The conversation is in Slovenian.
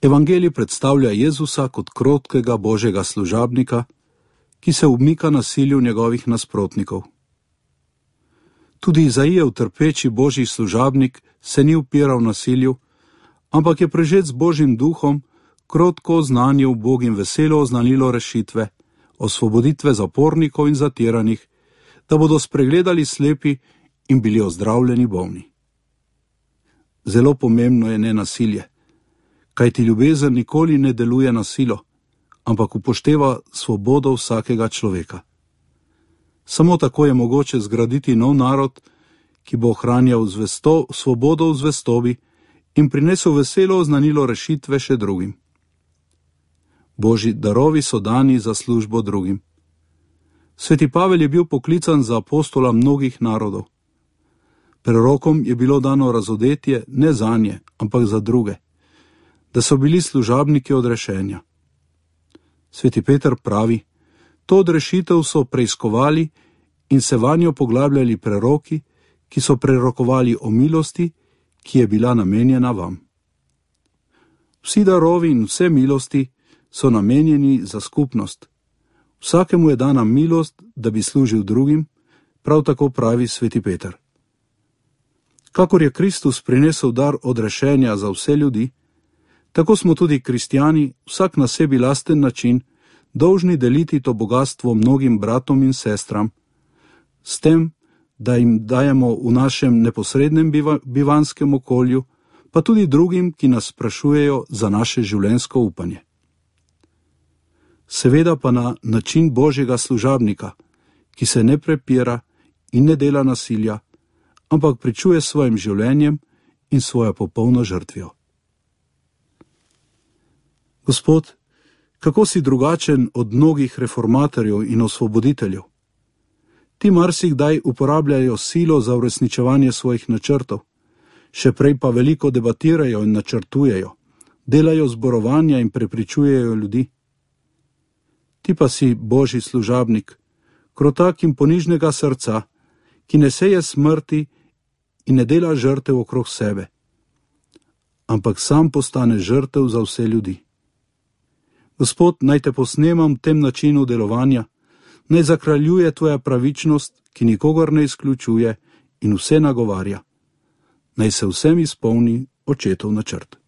Evangelij predstavlja Jezusa kot krotkega božjega služabnika, ki se umika nasilju njegovih nasprotnikov. Tudi Izaijev trpeči božji služabnik se ni upiral nasilju, ampak je prežet z božjim duhom krotko oznanil Bogim veselo oznanilo rešitve, osvoboditve zapornikov in zatiranih, da bodo spregledali slepi in bili ozdravljeni bolni. Zelo pomembno je nenasilje, kajti ljubezen nikoli ne deluje na silo, ampak upošteva svobodo vsakega človeka. Samo tako je mogoče zgraditi nov narod, ki bo ohranjal svobodo v zvestobi in prinesel veselo oznanilo rešitve še drugim. Božji darovi so dani za službo drugim. Sveti Pavel je bil poklican za apostola mnogih narodov. Prorokom je bilo dano razodetje ne zanje, ampak za druge, da so bili služabniki odrešenja. Sveti Peter pravi, to odrešitev so preiskovali in se vanjo poglabljali preroki, ki so prerokovali o milosti, ki je bila namenjena vam. Vsi darovi in vse milosti so namenjeni za skupnost. Vsakemu je dana milost, da bi služil drugim, prav tako pravi sveti Peter. Kakor je Kristus prinesel dar odrešenja za vse ljudi, tako smo tudi kristjani, vsak na sebi lasten način, dolžni deliti to bogatstvo mnogim bratom in sestram, s tem, da jim dajemo v našem neposrednem bivanskem okolju, pa tudi drugim, ki nas sprašujejo za naše življenjsko upanje. Seveda pa na način božjega služabnika, ki se ne prepira in ne dela nasilja, ampak pričuje s svojim življenjem in svojo popolno žrtvijo. Gospod, kako si drugačen od mnogih reformatorjev in osvoboditeljev? Ti marsikdaj uporabljajo silo za uresničevanje svojih načrtov, še prej pa veliko debatirajo in načrtujejo, delajo zborovanja in prepričujejo ljudi. Ti pa si božji služabnik, krotak in ponižnega srca, ki ne seje smrti in ne dela žrtev okrog sebe, ampak sam postane žrtev za vse ljudi. Gospod, naj te posnemam v tem načinu delovanja, naj zakraljuje tvoja pravičnost, ki nikogar ne izključuje in vse nagovarja. Naj se vsem izpolni očetov načrt.